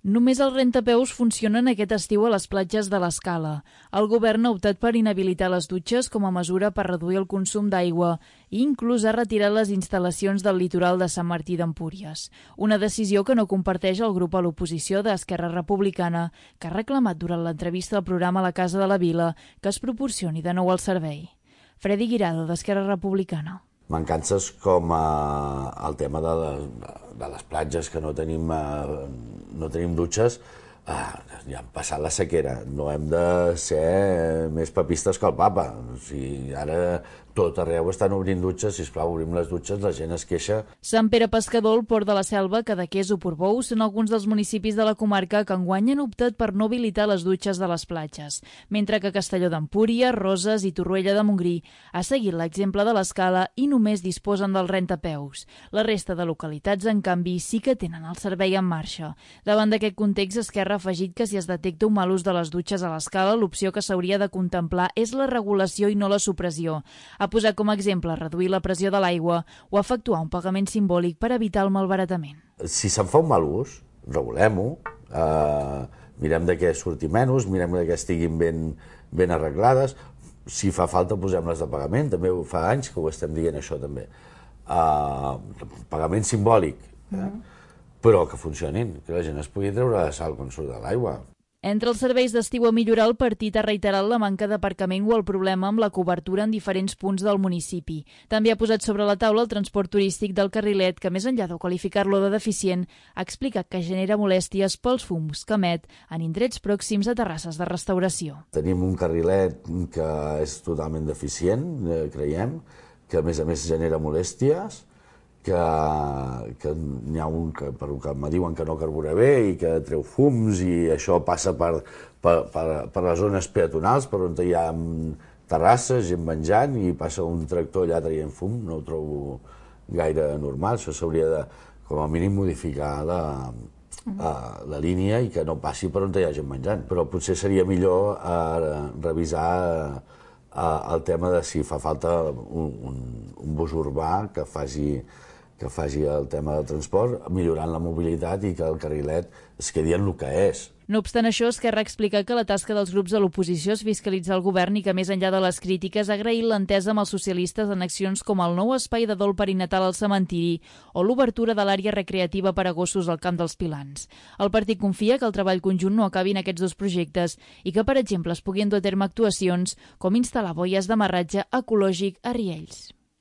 Només els rentapeus funcionen aquest estiu a les platges de l'Escala. El govern ha optat per inhabilitar les dutxes com a mesura per reduir el consum d'aigua i inclús ha retirat les instal·lacions del litoral de Sant Martí d'Empúries. Una decisió que no comparteix el grup a l'oposició d'Esquerra Republicana, que ha reclamat durant l'entrevista al programa La Casa de la Vila que es proporcioni de nou el servei. Freddy Guirado, d'Esquerra Republicana. Mancances com el tema de les platges, que no tenim dutxes, ja hem passat la sequera, no hem de ser més papistes que el papa. O sigui, ara tot arreu estan obrint dutxes, sisplau, obrim les dutxes, la gent es queixa. Sant Pere Pescador, el Port de la Selva, Cadaqués o Portbou són alguns dels municipis de la comarca que enguany han optat per no habilitar les dutxes de les platges, mentre que Castelló d'Empúries, Roses i Torroella de Montgrí ha seguit l'exemple de l'Escala i només disposen del rentapeus. La resta de localitats, en canvi, sí que tenen el servei en marxa. Davant d'aquest context, Esquerra ha afegit que si es detecta un mal ús de les dutxes a l'Escala, l'opció que s'hauria de contemplar és la regulació i no la supressió. Ha posat com a exemple reduir la pressió de l'aigua o efectuar un pagament simbòlic per evitar el malbaratament. Si se'n fa un mal ús, regulem-ho, mirem de què surti menys, mirem de què estiguin ben arreglades. Si fa falta, posem-les de pagament, també fa anys que ho estem dient això també. Pagament simbòlic, però que funcionin, que la gent es pugui treure la sal quan surt de l'aigua. Entre els serveis d'estiu a millorar, el partit ha reiterat la manca d'aparcament o el problema amb la cobertura en diferents punts del municipi. També ha posat sobre la taula el transport turístic del carrilet, que més enllà de qualificar-lo de deficient, ha explicat que genera molèsties pels fums que emet en indrets pròxims a terrasses de restauració. Tenim un carrilet que és totalment deficient, creiem, que a més genera molèsties, que n'hi ha un que me diuen que no carbura bé i que treu fums, i això passa per les zones peatonals, per on hi ha terrasses, gent menjant, i passa un tractor allà traient fum. No ho trobo gaire normal. Això s'hauria de, com a mínim, modificar la línia i que no passi per on hi ha gent menjant. Però potser seria millor revisar el tema de si fa falta un bus urbà que faci el tema del transport, millorant la mobilitat i que el carrilet es quedi en el que és. No obstant això, Esquerra ha explicat que la tasca dels grups de l'oposició és fiscalitzar el govern i que, més enllà de les crítiques, ha agraït l'entesa amb els socialistes en accions com el nou espai de dol perinatal al cementiri o l'obertura de l'àrea recreativa per a gossos al Camp dels Pilans. El partit confia que el treball conjunt no acabi en aquests dos projectes i que, per exemple, es puguin dur a terme actuacions com instal·lar boies d'amarratge ecològic a riells.